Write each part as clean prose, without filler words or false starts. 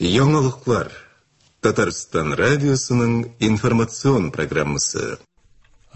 Яңалыклар. Татарстан радиосының информацион программасы.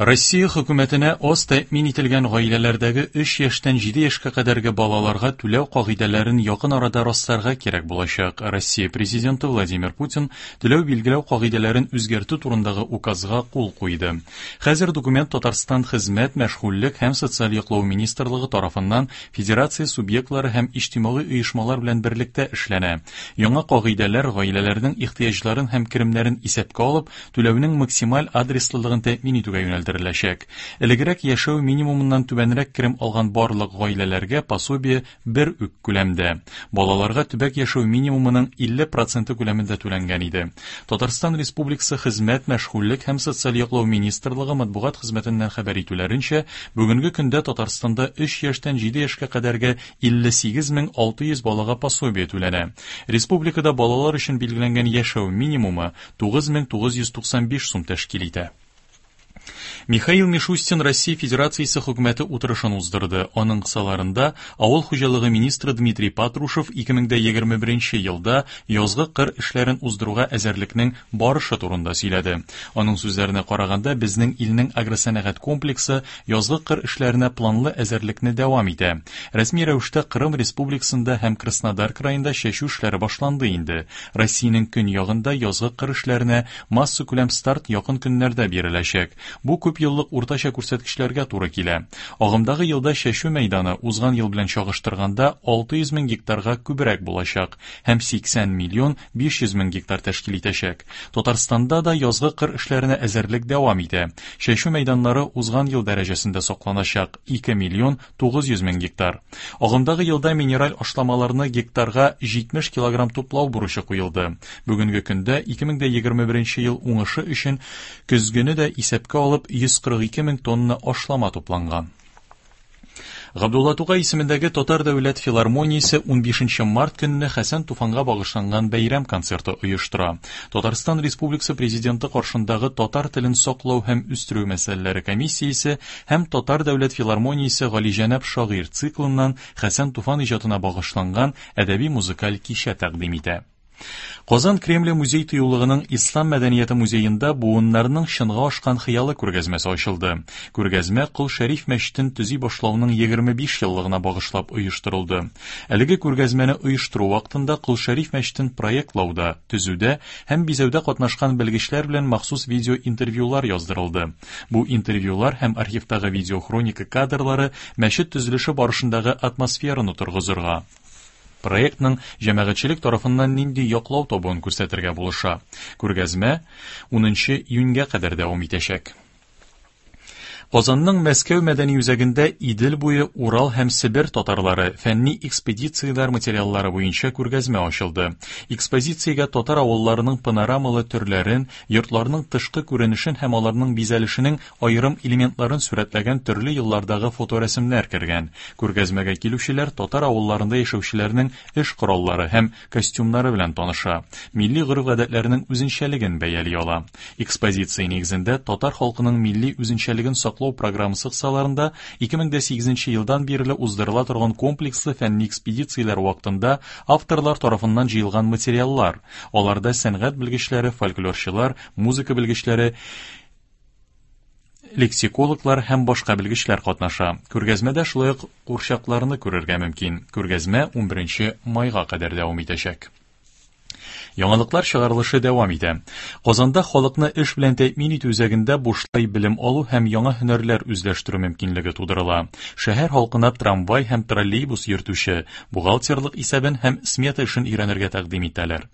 Россия хөкүмәтенә аз тәэмин ителгән гаиләләрдәге 3 яшьтән 7 яшькә кадәрге балаларга түләү кагыйдәләрен якын арада расларга кирәк булачак. Россия Президенты Владимир Путин түләү билгеләү кагыйдәләрен үзгәртү турындагы указга кул куйды. Хәзер документ Татарстан Хезмәт, мәшгульлек һәм социаль яклау министрлыгы тарафыннан федерация субъектлары һәм иҗтимагый оешмалар белән берлектә эшләнә. Яңа кагыйдәләр гаиләләрнең ихтыяҗларын һәм керемнәрен исәпкә алып, түләүнең максималь адреслылыгын тәэмин итүгә юнәлдереләчәк. Элегрәк яшәү минимумыннан түбәнрәк керем алган барлык гаиләләргә пособие бер үк күләмдә. Балаларга төбәк яшәү минимумының 50 проценты күләмендә түләнгән иде. Татарстан Республикасы Хезмәт, мәшгульлек һәм социаль яклау министрлыгы матбугат хезмәтеннән хәбәр итүләренчә, бүгенге көндә Татарстанда 3 яшьтән 7 яшькә кадәрге 58 600 балага пособие түләнә. Республикада балалар өчен билгеләнгән яшәү минимумы 9995 сум тәшкил итә. Михаил Мишустин Россия Федерациясе хөкүмәте утырышын уздырды. Аның кысаларында авыл хуҗалыгы министры Дмитрий Патрушев 2021 елда язгы кыр эшләрен уздыруга әзерлекнең барышы турында сөйләде. Аның сүзләренә караганда, безнең илнең агросәнәгать комплексы язгы кыр эшләренә планлы әзерлекне дәвам итә. Рәсми рәвештә Кырым Республикасында һәм Краснодар краенда чәчү эшләре башланды инде. Россиянең көньягында язгы кыр эшләренә массакүләм старт якын көннәрдә биреләчәк. Бу күп еллык уртача күрсәткечләргә туры килә. Агымдагы елда чәчү мәйданы узган ел белән чагыштырганда 600 мең гектарга күбрәк булачак һәм 80 миллион 500 мең гектар тәшкил итәчәк. Татарстанда да язгы кыр эшләренә әзерлек дәвам итә. Чәчү мәйданнары узган ел дәрәҗәсендә сакланачак 2 миллион 900 мең гектар. Агымдагы елда минераль ашламаларны гектарга 70 килограмм туплау бурычы куелды. Бүгенге көндә 2021 ел уңышы өчен көзгене дә исәпкә алып 142 мең тонна ашлама тупланган. Габдулла Тукай исемендәге Татар дәүләт филармониясе 15 март көнне Хәсән Туфанга багышланган бәйрәм концерты оештыра. Татарстан Республикасы Президенты каршындагы татар телен саклау һәм үстерү мәсьәләләре комиссиясе һәм Татар дәүләт филармониясе Галиҗәнәп шагыйрь циклыннан Хәсән Туфан иҗатына багышланган әдәби музыкаль кичә тәкъдим итә. Казан Кремле музей тыюлыгының Ислам мәдәнияте музеенда буыннарның чынга ашкан хыялы күргәзмәсе ачылды. Күргәзмә Кол Шәриф мәчетен төзи башлауның 25 еллыгына багышлап оештырылды. Әлеге күргәзмәне оештыру вакытында Кол Шәриф мәчетен проектлауда, төзүдә һәм бизәүдә катнашкан белгечләр белән махсус видеоинтервьюлар яздырылды. Бу интервьюлар һәм архивтагы видеохроника кадрлары мәчет төзелеше барышындагы атмосфераны торгызырга, проектның җәмәгатьчелек тарафыннан нинди яклау табуын күрсәтергә булыша. Күргәзмә 10 июньгә кадәр дәвам итәчәк. Казанның Мәскәү мәдәни үзәгендә Идел буе, Урал һәм Себер татарлары фәнни экспедицияләр материаллары буенча күргәзмә ачылды. Экспозициягә татар авылларының панорамалы төрләрен, йортларның тышкы күренешен һәм аларның бизәлешенең аерым элементларын сурәтләгән төрле еллардагы фоторәсемнәр кергән. Күргәзмәгә килүчеләр татар авылларында яшәүчеләрнең эш кораллары һәм костюмнары белән таныша, милли гореф-гадәтләренең үзенчәлеген бәяли ала. Экспозиция нигезендә татар халкының милли үзенчәлеген саклау программасы кысаларында 2008 елдан бирле уздырыла торган комплекслы фәнни экспедицияләр вакытында авторлар тарафыннан җыелган материаллар, аларда сәнгать белгечләре, фольклорчылар, музыка белгечләре, лексикологлар һәм башка белгечләр катнаша. Күргәзмәдә шулай ук курчакларны күрергә мөмкин. Күргәзмә 11 майга кадәр дәвам итәчәк. Яңалыклар чыгарылышы дәвам итә. Казанда халыкны эш белән тәэмин итү үзәгендә бушлай белем алу һәм яңа һөнәрләр үзләштерү мөмкинлеге тудырыла. Шәһәр халкына трамвай һәм троллейбус йөртүче, бухгалтерлык исәбен һәм смета эшен өйрәнергә тәкъдим итәләр.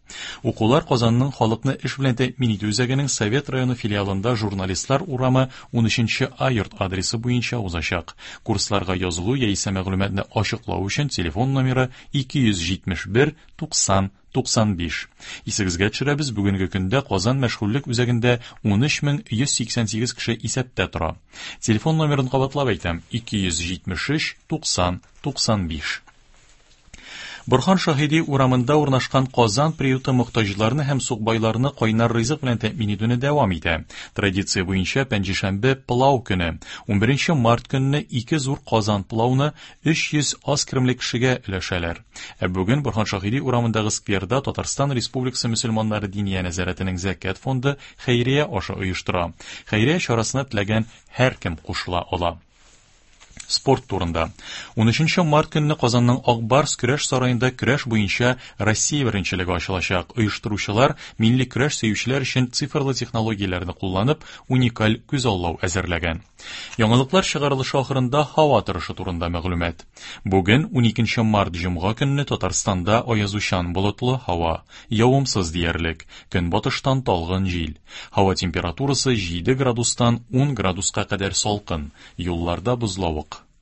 Укулар Казанның халыкны эш белән тәэмин итү үзәгенең Совет районы филиалында Журналистлар урамы 13 А йорт адресы буенча узачак. Курсларга язылу яисә мәгълүматны ачыклау өчен телефон номеры 271 90 95. Исегезгә төшерәбез, бүгенге көндә Казан мәшгульлек үзәгендә 13188 кеше исәптә тора. Телефон номерын кабатлап әйтәм: 273 90 95. Борһан Шаһиди урамында урнашкан Казан приюты мохтаҗларны һәм сукбайларны кайнар ризык белән тәэмин итүне дәвам итә. Традиция буенча пәнҗешәмбе пылау көне. 11 март көнне ике зур Казан пылауны 300 аз керемле кешегә өләшәләр. Ә бүген Борһан Шаһиди урамындагы скверда Татарстан Республикасы мөселманнары Диния нәзарәтенең Зәкят фонды хәйрия ашы оештыра. Хәйрия чарасына теләгән һәркем кушыла ала. Спорт турында. 13 март көнне Казанның Ак Барс көрәш сараенда көрәш буенча Россия беренчелеге ачылачак. Оештыручылар милли көрәш сөючеләр өчен цифрлы технологияләрне кулланып, уникаль күзаллау әзерләгән. Яңалыклар чыгарылышы ахырында һава торышы турында мәгълүмат. Бүген 12 март җомга көнне Татарстанда аязучан болытлы һава, явымсыз диярлек, көнбатыштан талгын җил. Һава температурасы 7 градустан 10 градуска кадәр салкын, юлларда бозлавык.